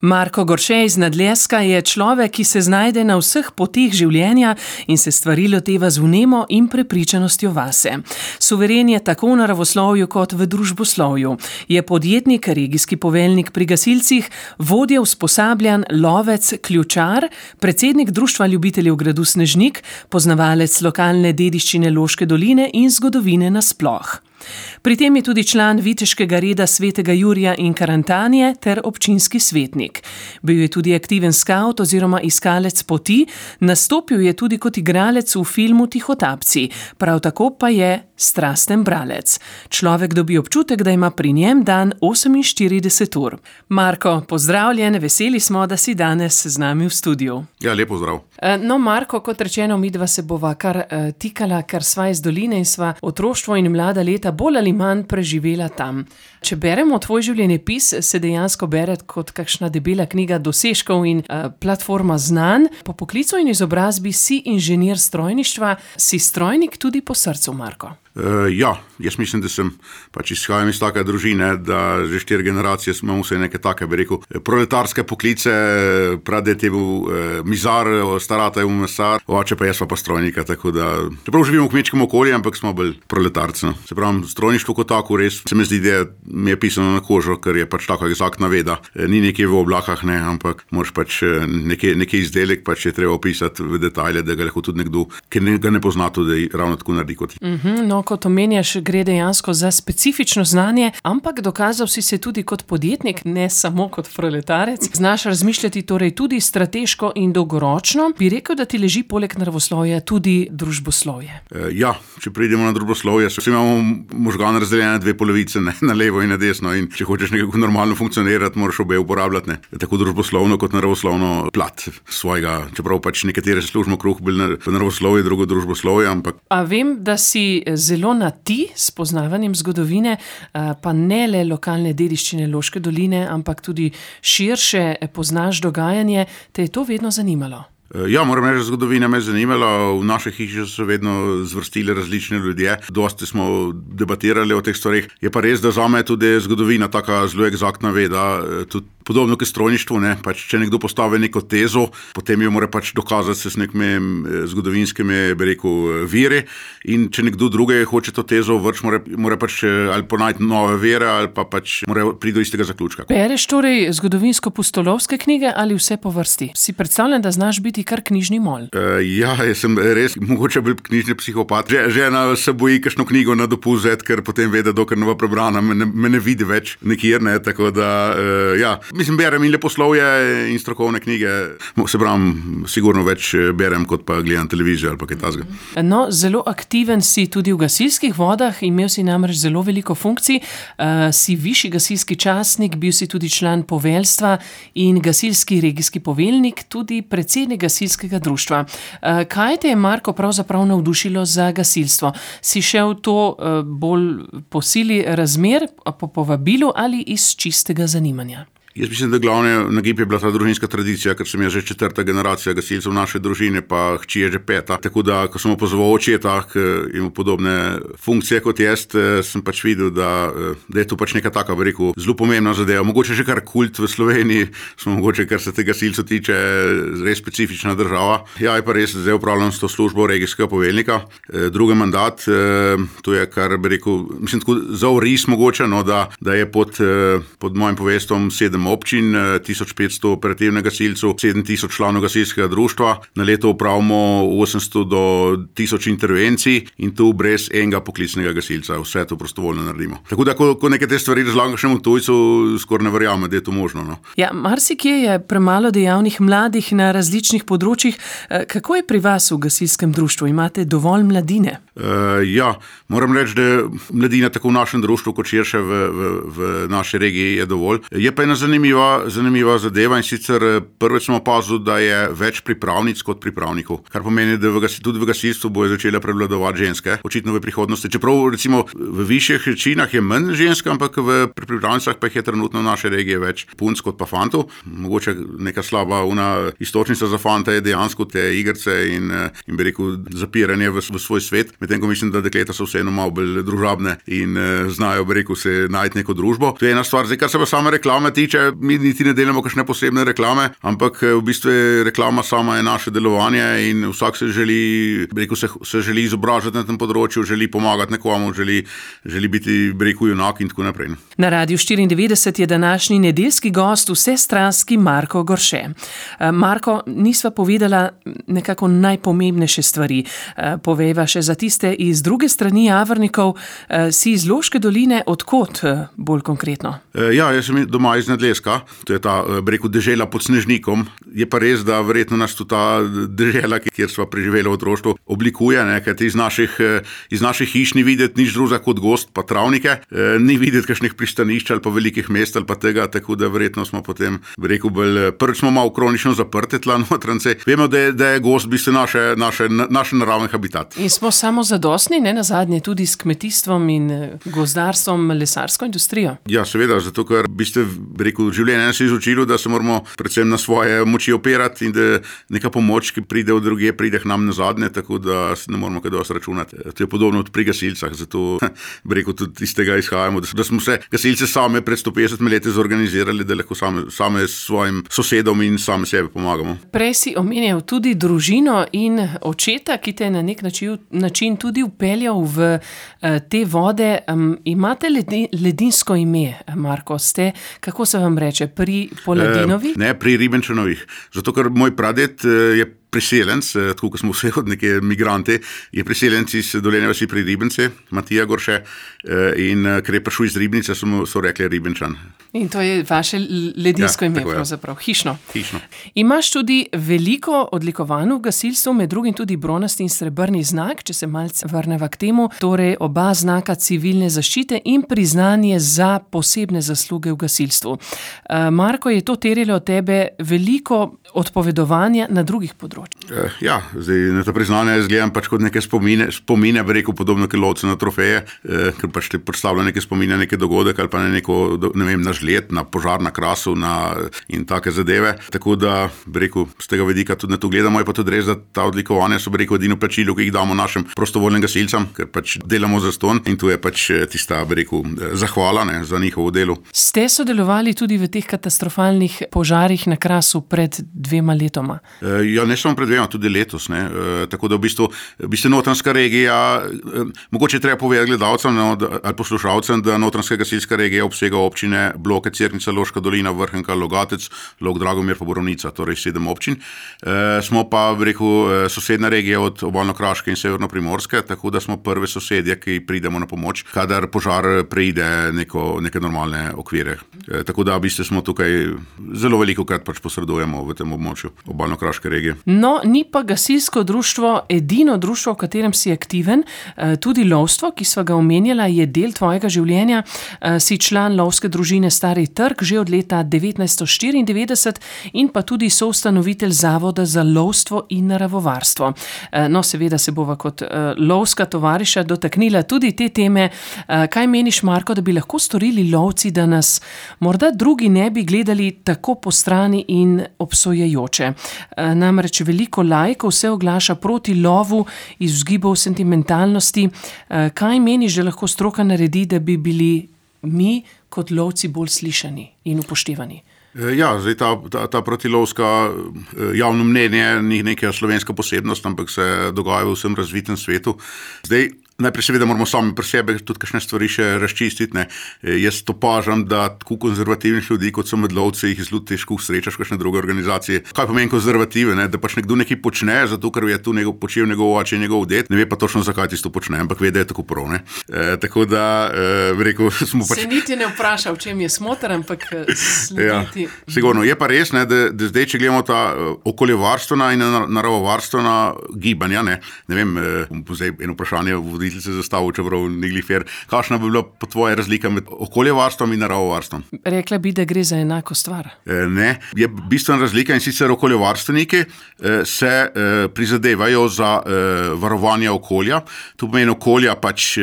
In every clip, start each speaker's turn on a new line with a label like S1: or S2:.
S1: Marko Gorše iz Nadleska je človek, ki se znajde na vseh poteh življenja in se stvari loteva z vnemo in prepričanostjo vase. Suveren je tako v naravoslovju kot v družboslovju. Je podjetnik, regijski poveljnik pri gasilcih, vodja usposabljanj, lovec, ključar, predsednik Društva ljubiteljev gradu Snežnik, poznavalec lokalne dediščine Loške doline in zgodovine nasploh. Pri tem je tudi član viteškega reda svetega Jurija in Karantanije ter občinski svetnik. Bil je tudi aktiven skavt oziroma iskalec poti, nastopil je tudi kot igralec v filmu Tihotapci, prav tako pa je strasten bralec. Človek dobi občutek, da ima pri njem dan 48 ur. Marko, pozdravljen, veseli smo, da si danes z nami v studiu.
S2: Ja, lepo zdrav.
S1: No, Marko, kot rečeno, midva se bova kar tikala, ker sva iz doline in sva otroštvo in mlada leta bolj ali manj preživela tam. Če beremo tvoj življenjepis, se dejansko bere kot kakšna debela knjiga dosežkov in platforma znanj. Po poklicu in izobrazbi si inženir strojništva, si strojnik tudi po srcu, Marko.
S2: Ja, jaz mislim, da sem izhajam iz take družine, da že 4 generacije imamo vse neke take, bi rekel, proletarske poklice, praded je bil mizar, starata je bil mesar, oče pa jaz pa strojnika, tako da, čeprav živimo v kmečkem okolju, ampak smo bolj proletarci. Se pravi, strojništvo kot tako res, se mi zdi, da mi je pisano na kožo, ker je tako egzaktna veda. Ni nekje v oblakah, ne, ampak moraš nekaj izdelek, je treba opisati v detajle, da ga lahko tudi nekdo, ki ga ne pozna, tudi ravno tako naredi kot ti.
S1: No, kot omenjaš, gre dejansko za specifično znanje, ampak dokazal si se tudi kot podjetnik, ne samo kot proletarec. Znaš razmišljati torej tudi strateško in dolgoročno. Bi rekel, da ti leži poleg naravoslovja tudi družboslovje? Ja,
S2: če pridemo na družboslovje, imamo možgane razdeljene na 2 polovice, ne, na levo in na desno, in če hočeš nekako normalno funkcionirati, moraš obe uporabljati, ne, tako družboslovno kot naravoslovno plat svojega, čeprav nekatere služimo kruh bolj v naravoslovje, drugo družboslovje, ampak...
S1: A vem, da si zelo na ti s poznavanjem zgodovine, pa ne le lokalne dediščine Loške doline, ampak tudi širše poznaš dogajanje, te je to vedno zanimalo?
S2: Ja, moram reči, zgodovina me je zanimala, v naši hiši so vedno zvrstili različni ljudje, dosti smo debatirali o teh stvarih. Je pa res, da zame tudi zgodovina taka zelo egzaktna veda, tudi podobno kot strojništvo, ne, če nekdo postavi neko tezo, potem jo mora dokazati se s nekimi zgodovinskimi, bi rekel, viri, in če nekdo druge hoče to tezo vrč, mora ali ponajti nove vere, ali pa mora priti do istega zaključka.
S1: Bereš torej zgodovinsko-pustolovske knjige ali vse po vrsti? Si predstavljam, da znaš biti kar knjižni mol.
S2: Ja, jaz sem res mogoče bil knjižni psihopat. Žena se boji kakšno knjigo na dopust vzeti, ker potem ve, da dokler ne bo prebrana, me ne vidi več nikjer, ne, tako da, ja. Mislim, berem in leposlovje in strokovne knjige, se pravim, sigurno več berem, kot pa gledam televizijo ali pa kaj takega.
S1: No, zelo aktiven si tudi v gasilskih vodah, imel si namreč zelo veliko funkcij, si višji gasilski častnik, bil si tudi član poveljstva in gasilski regijski poveljnik, tudi predsednik gasilskega društva. Kaj te je, Marko, pravzaprav navdušilo za gasilstvo? Si šel to bolj po sili razmer, po povabilu ali iz čistega zanimanja?
S2: Jaz mislim, da glavni nagib je bila ta družinska tradicija, ker sem jaz že 4. generacija gasilcev v naše družine, pa hči je že 5. Tako da, ko sem opazoval očeta, ki ima podobne funkcije kot jaz, sem videl, da je to neka taka, bi rekel, zelo pomembna zadeva. Mogoče že kar kult v Sloveniji, smo mogoče, kar se te gasilcev tiče, res specifična država. Ja, je pa res, zdaj upravljam s to službo regijskega poveljnika. Drugi mandat, to je kar, bi rekel, mislim, tako za oris mogoče, no, da je pod mojim povestvom 7 občin, 1500 operativnih gasilcev, 7000 članov gasilskega društva. Na leto upravimo 800 do 1000 intervencij in tu brez enega poklicnega gasilca. Vse to prostovoljno naredimo. Tako da, ko neke te stvari razlagam kakšnemu tujcu, skoraj ne verjame, da je to možno. No.
S1: Ja, marsikje je premalo dejavnih mladih na različnih področjih. Kako je pri vas v gasilskem društvu? Imate dovolj mladine?
S2: Ja, moram reči, da mladina tako v našem društvu, kot širše v naši regiji je dovolj. Je pa ena zanimiva zadeva, in sicer prvič smo opazili, da je več pripravnic kot pripravnikov, kar pomeni, da tudi v gasilstvu bojo začele prevladovati ženske, očitno v prihodnosti. Čeprav recimo v višjih činah je manj žensk, ampak v pripravnicah pa jih je trenutno v naši regiji več punc kot pa fantov. Mogoče neka slaba istočnica za fanta je dejansko te igrice in bi rekel zapiranje v svoj svet, medtem ko mislim, da dekleta so vseeno malo bolj družabne in znajo, bi rekel, se najti neko družbo. To je ena stvar. Zdaj, kar se pa same reklame tiče, tiče, mi niti ne delamo kakšne posebne reklame, ampak v bistvu reklama sama je naše delovanje in vsak se želi izobražiti na tem področju, želi pomagati nekomu, želi biti, junak in tako naprej.
S1: Na Radiu 94 je današnji nedeljski gost vsestranski Marko Gorše. Marko, nisva povedala nekako najpomembnejše stvari. Povejva še za tiste iz druge strani Javornikov, si iz Loške doline, od kod bolj konkretno?
S2: Ja, jaz sem doma iz Nedleska, to je ta, dežela pod Snežnikom. Je pa res, da verjetno nas tu ta dežela, kjer sva preživela v otroštvu, oblikuje, kajti iz naših hiš ni videti nič drugega kot gozd pa travnike, ni videti kakšnih pristanišč ali pa velikih mest ali pa tega, tako da verjetno smo potem, prvič smo malo kronično zaprti tla notrance. Vemo, da je gozd v bistvu naš naravni habitat.
S1: In smo samozadostni, ne nazadnje, tudi s kmetijstvom in gozdarstvom, lesarsko industrijo?
S2: Ja, seveda, zato ker v bistvu, življenje nas je izučilo, da se moramo predvsem na svoje moči opirati in da neka pomoč, ki pride od drugje, pride k nam nazadnje, tako da ne moramo kaj dosti računati. To je podobno pri gasilcah, zato tudi iz tega izhajamo, da smo se gasilce same pred 150 leti zorganizirali, da lahko same s svojim sosedom in same sebi pomagamo.
S1: Prej si omenjal tudi družino in očeta, ki te je na nek način tudi vpeljal v te vode. Imate ledinsko ime, Marko? Ste, kako se vam reče, pri Poladinovi?
S2: Ne, pri Ribenčanovih. Zato, ker moj praded je priseljenc, tako kot smo vse od neke migrante, je priseljenc iz Dolenje vasi pri Ribence, Matija Gorše, in ker je prišel iz Ribnice, so rekli Ribenčan.
S1: In to je vaše ledinsko ime, pravzaprav, hišno. Imaš tudi veliko odlikovanj v gasilstvu, med drugim tudi bronasti in srebrni znak, če se malce vrneva k temu, torej oba znaka civilne zaščite in priznanje za posebne zasluge v gasilstvu. Marko, je to terjalo od tebe veliko odpovedovanja na drugih področjih?
S2: Ja, zdaj na to priznanje jaz gledam kot neke spomine, podobno kot lovce na trofeje, ker pač te predstavlja neke spomine, neke dogodek ali pa na žled, na požar na Krasu in take zadeve. Tako da, z tega vidika tudi na to gledamo, je pa tudi res, da ta odlikovanja so edino plačilo, ki jih damo našim prostovoljnim gasilcem, ker pač delamo zastonj in tu je pač tista, zahvala za njihovo delo. Ste
S1: sodelovali tudi v teh katastrofalnih požarih na Krasu pred 2 letoma?
S2: Ja, ne samo pred 2, tudi letos. Tako da v bistvu Notranjska regija, mogoče treba povedati gledalcem ali poslušalcem, da Notranjska gasilska regija obsega občine Bloke, Cerknica, Loška dolina, Vrhnika, Logatec, Log, Dragomir pa Borovnica, torej 7 občin. Smo pa, sosedna regija od Obalno-kraške in Severno-primorske, tako da smo prve sosedje, ki pridemo na pomoč, kadar požar preide neke normalne okvire. Tako da v bistvu smo tukaj zelo velikokrat pač posredujemo v tem območju Obalno-kraške regije.
S1: No, ni pa gasilsko društvo edino društvo, v katerem si aktiven. Tudi lovstvo, ki sva ga omenjala, je del tvojega življenja. Si član lovske družine Stari Trg že od leta 1994 in pa tudi soustanovitelj Zavoda za lovstvo in naravovarstvo. No, seveda se bova kot lovska tovariša dotaknila tudi te teme. Kaj meniš, Marko, da bi lahko storili lovci, da nas morda drugi ne bi gledali tako postrani in obsojajoče? Namreč veliko laikov se oglaša proti lovu iz vzgibov sentimentalnosti. Kaj meniš, da lahko stroka naredi, da bi bili mi kot lovci bolj slišani in upoštevani?
S2: Ja, zdaj ta protilovska javno mnenje ni neka slovenska posebnost, ampak se dogaja v vsem razvitem svetu. Zdaj, najprej seveda moramo sami pri sebi tudi kakšne stvari še razčistiti. Jaz opažam, da tako konzervativnih ljudi, kot so medlovci, jih zelo težko srečaš v kakšne druge organizacije. Kaj pomeni konzervative? Da pač nekdo nekaj počne, zato ker je tu počel njegov oče, njegov ded, ne ve pa točno, zakaj tisto počne, ampak ve, da je tako prav. Tako da, smo pač...
S1: Se niti ne vpraša, v čem je smoter, ampak slediti.
S2: Ja, sigurno. Je pa res, da zdaj, če gledamo ta okoljevarstvena in naravovarstvena gibanja, ne vem, zdaj eno vprašanje se zastavil, čeprav ni glifer. Kakšna bi bila po tvoje razlika med okoljevarstvom in naravovarstvom?
S1: Rekla bi, da gre za enako stvar.
S2: Ne, je bistvena razlika in sicer okoljevarstveniki se prizadevajo za varovanje okolja. To pomeni okolja pač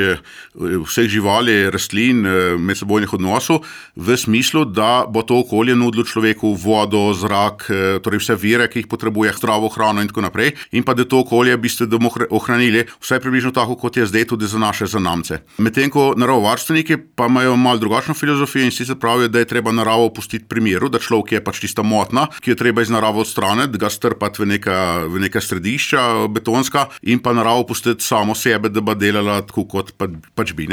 S2: vseh živali, rastlin, medsebojnih odnosov, v smislu, da bo to okolje nudilo človeku vodo, zrak, torej vse vire, ki jih potrebuje, zdravo hrano in tako naprej. In pa da to okolje bomo ohranili vsaj približno tako, kot je zdaj, zdaj tudi za naše zanamce. Medtem ko naravovarstveniki pa imajo malo drugačno filozofijo in sicer pravijo, da je treba naravo pustiti pri miru, da človek je pač tista motna, ki jo treba iz narave odstraniti, ga strpati v neka središča betonska in pa naravo pustiti samo sebe, da bo delala tako kot pač bi.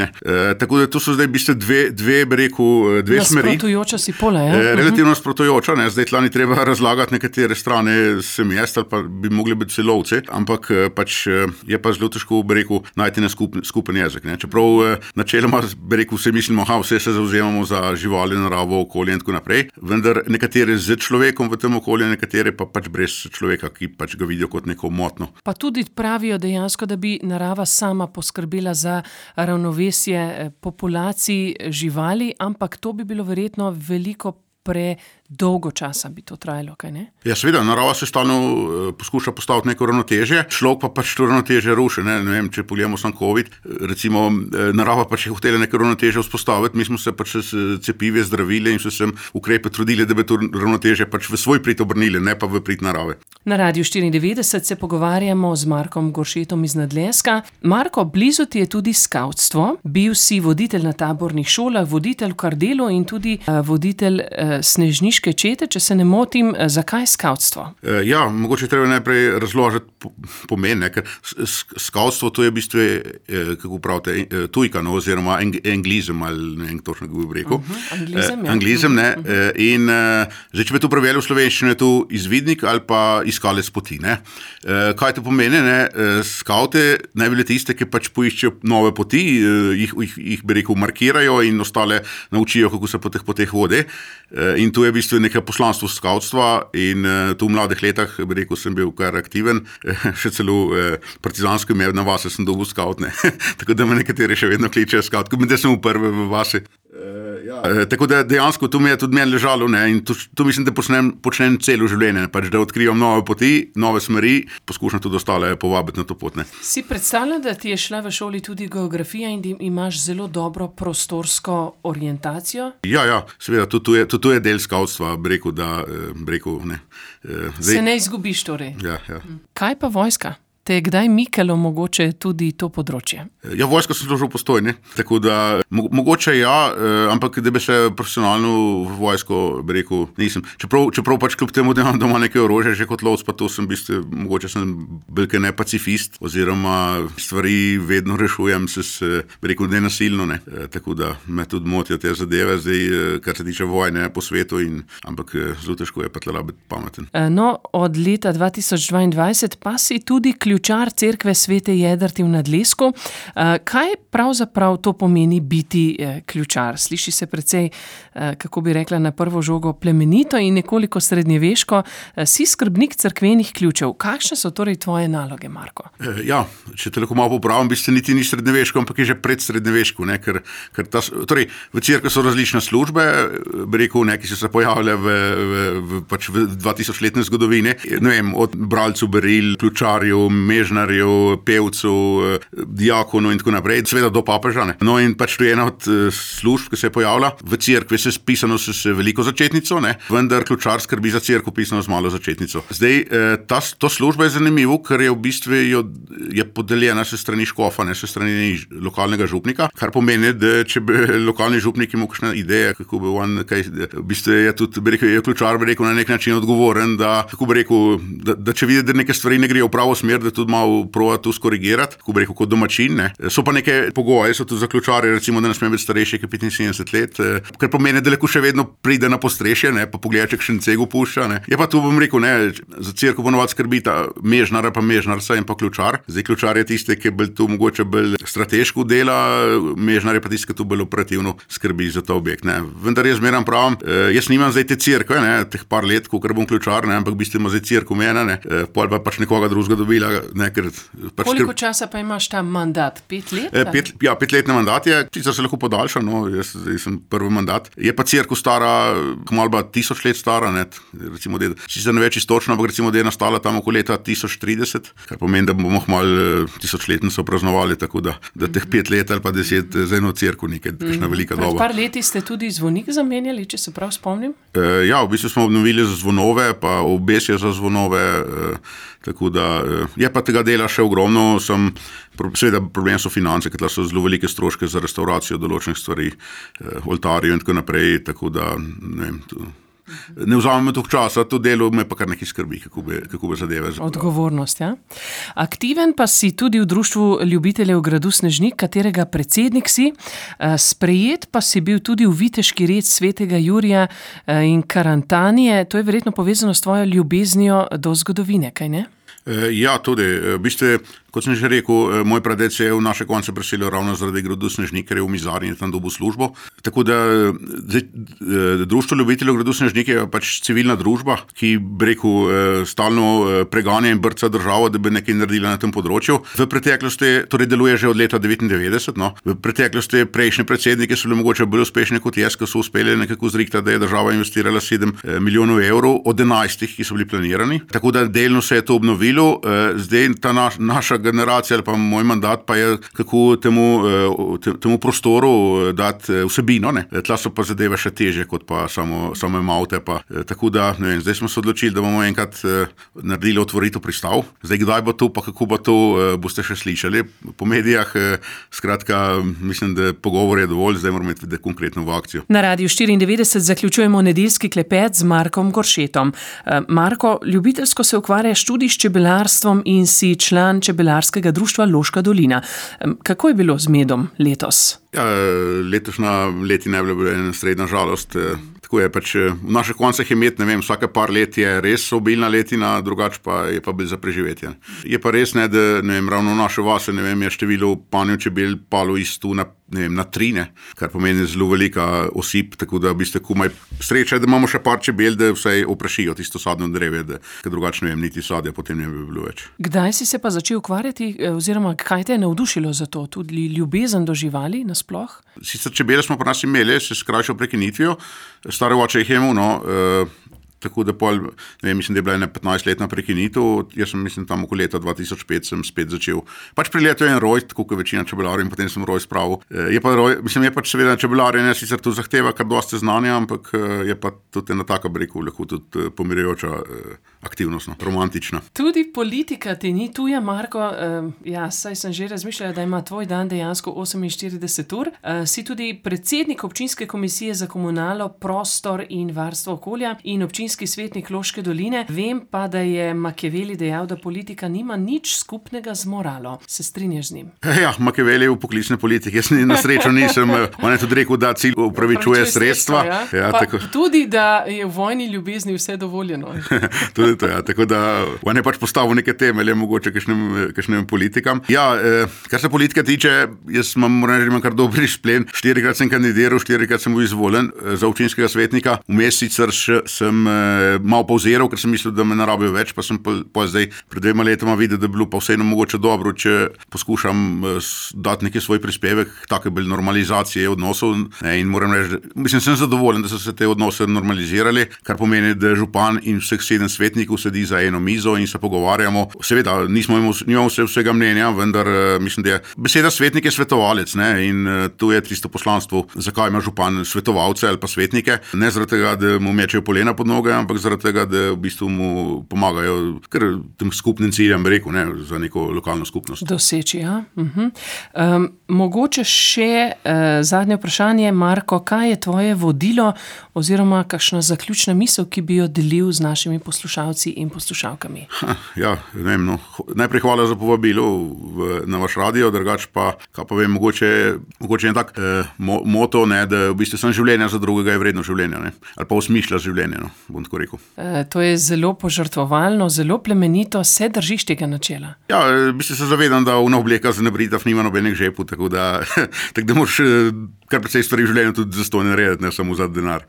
S2: Tako da to so zdaj v bistvu dve smeri.
S1: Nasprotujoča si pola, ja?
S2: Relativno nasprotujoča, ne? Zdaj tlani treba razlagati nekatere strane sem jaz ali pa bi mogli biti celovci, ampak pač je pa zelo težko, najti na skupen jezik. Ne? Čeprav načeloma, vse mislimo, vse se zavzemamo za živali, naravo, okolje in tako naprej, vendar nekatere z človekom v tem okolju, nekatere pa pač brez človeka, ki pač ga vidijo kot neko motno.
S1: Pa tudi pravijo dejansko, da bi narava sama poskrbela za ravnovesje populacij živali, ampak to bi bilo verjetno veliko predolgo časa bi to trajalo, kaj ne?
S2: Ja, seveda, narava se stalno poskuša postaviti neko ravnotežje, človek pa pač to ravnotežje ruši, ne vem, če pogledamo sam COVID, recimo narava pač je hotela neko ravnotežje vzpostaviti, mi smo se pač s cepivi zdravili in so se ukrepe trudili, da bi to ravnotežje pač v svoj prid obrnili, ne pa v prid narave.
S1: Na Radiu 94 se pogovarjamo z Markom Goršetom iz Nadleska. Marko, blizu ti je tudi skavtstvo, bil si voditelj na tabornih šolah, voditelj v Kardelu in tudi voditelj snežniške čete, če se ne motim, zakaj skavtstvo?
S2: Ja, mogoče treba najprej razložiti pomen, ker skavtstvo to je v bistvu, kako pravite, tujka, oziroma anglizem, ali ne vem točno, kako bi rekel.
S1: Anglizem, ja.
S2: Anglizem, ne. In zdaj, če bi to prevedel v slovenščino, je to izvidnik ali pa iskalec poti, ne. Kaj to pomeni, ne? Skavte naj bile tiste, ki pač poiščejo nove poti, jih bi rekel, markirajo in ostale naučijo, kako se po teh poteh vode. In to je v bistvu nekaj poslanstvo skavtstva in tu v mladih letah, bi rekel, sem bil kar aktiven, še celo partizansko ime na vase sem dobil skaut, ne. Tako da me nekateri še vedno kličejo skaut, ko da sem v prve v vasi. Tako da dejansko to mi je tudi meni ležalo, ne, in to mislim, da počnem celo življenje, pač da odkrivam nove poti, nove smeri, poskušam tudi ostale povabiti na to pot, ne.
S1: Si predstavljam, da ti je šla v šoli tudi geografija in da imaš zelo dobro prostorsko orientacijo?
S2: Ja, seveda, tudi to je del skavtstva, bi rekel, ne.
S1: Se ne izgubiš torej?
S2: Ja.
S1: Kaj pa vojska? Te je kdaj mikalo mogoče tudi to področje?
S2: Ja, vojsko sem služil v Postojni, tako da mogoče ja, ampak da bi se profesionalno v vojsko, bi rekel, nisem. Čeprav pač kljub temu, da imam doma neke orožje, že kot lovec, pa to sem v bistvu, mogoče sem belke ne pacifist, oziroma stvari vedno rešujem bi rekel, nenasilno, ne. Tako da me tudi motijo te zadeve, zdaj, kar se tiče vojne po svetu, ampak zelo težko je pa tlela biti pameten.
S1: No, od leta 2022 pa si tudi ključar cerkve Svete Jedrte v Nadlesku. Kaj pravzaprav to pomeni biti ključar? Sliši se precej, kako bi rekla, na prvo žogo plemenito in nekoliko srednjeveško. Si skrbnik cerkvenih ključev. Kakšne so torej tvoje naloge, Marko?
S2: Ja, če te lahko malo popravim, v bistvu niti ni srednjeveško, ampak je že predsrednjeveško, ne, ker torej v cerkvi so različne službe, bi rekel, ki so se pojavile v 2000-letne zgodovine, ne vem, od bralcev beril, ključarjev, mežnarjev, pevcev, diakonov in tako naprej, seveda do papeža, ne. No in pač to je ena od služb, ki se je pojavila. V cerkvi se pisano s veliko začetnico, ne, vendar ključar skrbi za cerkev pisano z malo začetnico. Zdaj, to služba je zanimivo, ker je v bistvu je podeljena se strani škofa, ne, se strani lokalnega župnika, kar pomeni, da če bi lokalni župnik imel kakšne ideje, kako bi on, v bistvu je tudi, bi rekel, je ključar, bi rekel, na nek način odgovoren, da, kako bi rekel, da če vidi, da neke stvari ne grejo v pravo smer, da tudi malo prova to skorigirati, kako bi rekel, kot domačin, ne. So pa neke pogoje, so tudi za ključarje, recimo, da ne sme biti starejši kot 75 let, kar pomeni, da lahko še vedno pride na postrešje, ne, pa pogleda, če kakšen cego pušča, ne. Je pa tu, bom rekel, ne, za cerkev ponovadi skrbita mežnar pa mežnarca in pa ključar. Zdaj ključar je tiste, ki je tu mogoče bolj strateško dela, mežnar je pa tiste, ki tu bolj operativno skrbi za ta objekt, ne. Vendar jaz zmeraj pravim, jaz nimam zdaj te cerkve, ne, teh par let, kolikor bom ključar, ne, ampak v bistvu ima zdaj cerkev mene, ne, pol pa pač nekoga drugega dobila, ne, ker pač
S1: koliko časa pa imaš ta mandat? 5 let?
S2: 5-letni mandat je, sicer se lahko podaljša, no, jaz sem prvi mandat. Je pa cerkev stara, kmalu ba 1000 let stara, ne, recimo, sicer ne več istočno, ampak recimo, da je nastala tam okoli leta 1030, kar pomeni, da bomo kmalu 1000-letnico praznovali, tako da teh 5 let ali pa 10 za eno cerkev nekaj, kakšna velika doba.
S1: Pred par leti ste tudi zvonik zamenjali, če se prav spomnim?
S2: Ja, v bistvu smo obnovili za zvonove, pa obesje za zvonove, tako da je pa tega dela še ogromno, seveda problem so finance, ker so zelo velike stroške za restauracijo določenih stvari, oltarjev in tako naprej, tako da ne vzamemo toliko časa, to delo me pa kar nekaj skrbi, kako bi zadeve.
S1: Odgovornost, ja. Aktiven pa si tudi v Društvu ljubiteljev gradu Snežnik, katerega predsednik si. Sprejet pa si bil tudi v viteški red svetega Jurija in Karantanije. To je verjetno povezano s tvojo ljubeznijo do zgodovine, kaj ne?
S2: Ja, tudi. V bistvu, kot sem že rekel, moj praded se je v naše konce preselil ravno zaradi gradu Snežnik, ker je v Mizarju in tam dobil službo. Tako da Društvo ljubiteljev gradu Snežnik je pač civilna družba, ki stalno preganja in brca državo, da bi nekaj naredila na tem področju. V preteklosti, torej deluje že od leta 1999, no. V preteklosti prejšnji predsedniki so bili mogoče bolj uspešni kot jaz, ki so uspeli nekako zrihtati, da je država investirala 7 milijonov evrov od 11, ki so bili planirani. Tako da delno se je to obnovilo. Zdaj ta naša generacija ali pa moj mandat pa je, kako temu prostoru dati vsebino. Ne? Tla so pa zadeve še teže, kot pa samo maute. Tako da, ne vem, zdaj smo se odločili, da bomo enkrat naredili otvoritev pristav. Zdaj, kdaj bo to, pa kako bo to, boste še slišali po medijah. Skratka, mislim, da pogovor je dovolj, zdaj moramo iti konkretno v akcijo.
S1: Na Radiu 94 zaključujemo nedeljski klepet z Markom Goršetom. Marko, ljubiteljsko se ukvarjaš tudi s čebelarstvom in si član čebelarskega društva Loška dolina. Kako je bilo z medom letos?
S2: Ja, letošnja letina je bila ena srednja žalost. Tako je pač v naših koncah je med, ne vem, vsake par let je res obilna letina, drugače pa je pa bil za preživetje. Je pa res, ne, da ne vem, ravno v naše vase, ne vem, je število panjev čebel palo iz tu na 3, kar pomeni zelo velika osip, tako da v bistvu komaj sreča, da imamo še par čebel, da vsaj oprašijo tisto sadno drevje, ker drugače ne vem, niti sadja potem ne bi bilo več.
S1: Kdaj si se pa začel ukvarjati, oziroma kaj te je navdušilo za to? Tudi ljubezen do živali nasploh?
S2: Sicer čebele smo pri nas imeli, se skrajšal prekinitvijo, stare oče jih je imel, no, tako da ne vem, mislim, da je bila ena 15-letna prekinitev, jaz sem, mislim, tam okoli leta 2005 sem spet začel. Pač pri letu je en roj, tako kot večina čebelarjev, in potem sem roj spravil. Je pač seveda čebelarjenje sicer tu zahteva kar dosti znanja, ampak je pa tudi ena taka, bi rekel, lahko tudi pomirjajoča aktivnost, romantična.
S1: Tudi politika ti ni tuja, Marko. Ja, saj sem že razmišljala, da ima tvoj dan dejansko 48 ur. Si tudi predsednik občinske komisije za komunalo, prostor in varstvo okolja in občinski svetnik Loške doline. Vem pa, da je Machiavelli dejal, da politika nima nič skupnega z moralo. Se strinjaš z njim?
S2: Ja, Machiavelli v poklicne politike. Jaz na srečo nisem. On je tudi rekel, da cilj upravičuje sredstva.
S1: Ja, tudi, da je v vojni ljubezni vse dovoljeno.
S2: Tudi to, ja. Tako da on je pač postavil neke temelje, mogoče kakšnim politikam. Ja, kar se politike tiče, jaz moram reči, imam kar dober izplen. 4-krat sem kandidiral, 4-krat sem bil izvoljen za občinskega svetnika. Vmes sicer sem malo pauziral, ker sem mislil, da me ne rabijo več, pa sem pa zdaj pred 2 letoma videl, da bi bilo pa vseeno mogoče dobro, če poskušam dati neki svoj prispevek, take bolj normalizacije odnosov. In moram reči, mislim, sem zadovoljen, da so se te odnose normalizirali, kar pomeni, da župan in vseh 7 svetnikov sedi za eno mizo in se pogovarjamo. Seveda, nimamo vsega mnenja, vendar mislim, da je beseda svetnik je svetovalec, ne? In tu je tisto poslanstvo, zakaj ima župan svetovalce ali pa svetnike. Ne zaradi tega, da mu mečejo polena pod noge, ampak zaradi tega, da v bistvu mu pomagajo kar tem skupnim ciljem, rekel, ne, za neko lokalno skupnost.
S1: Doseči, ja. Mogoče še zadnje vprašanje, Marko, kaj je tvoje vodilo oziroma kakšna zaključna misel, ki bi jo delil z našimi poslušalci in poslušalkami?
S2: Ja, ne vem, no. Najprej hvala za povabilo na vaš radio, drugače pa, kaj pa vem, mogoče je tak moto, ne, da v bistvu sem življenja za drugega je vredno življenja, ne, ali pa osmišlja življenje, no, bom tako rekel. To
S1: je zelo požrtvovalno, zelo plemenito, se držiš tega načela?
S2: Ja, v bistvu se zavedam, da una obleka za nebritav nima nobenih žepov, tako da moraš kar precej stvari v življenju tudi zastonj narediti, ne samo za denar.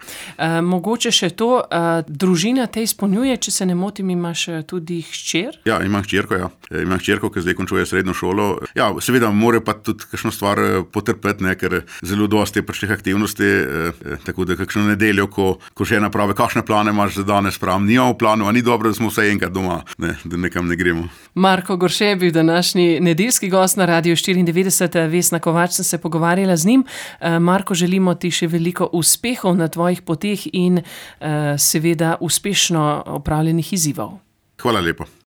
S1: Mogoče še to, družina te izpolnjuje, če se ne motim, imaš tudi hčer?
S2: Ja, imam hčerko, ja. Imam hčerko, ki zdaj končuje srednjo šolo. Ja, seveda mora pa tudi kakšno stvar potrpeti, ne, ker zelo dosti je pač teh aktivnosti, tako da kakšno nedeljo, ko žena pravi, kakšne plane imaš za danes, pravim, nimamo planu, a ni dobro, da smo vsaj enkrat doma, ne, da nekam ne gremo.
S1: Marko Gorše je bil današnji nedeljski gost na Radiu 94, Vesna Kovač, sem se pogovarjala z njim. Marko, želimo ti še veliko uspehov na tvojih poteh in seveda uspešno opravljenih izzivov.
S2: Hvala lepa.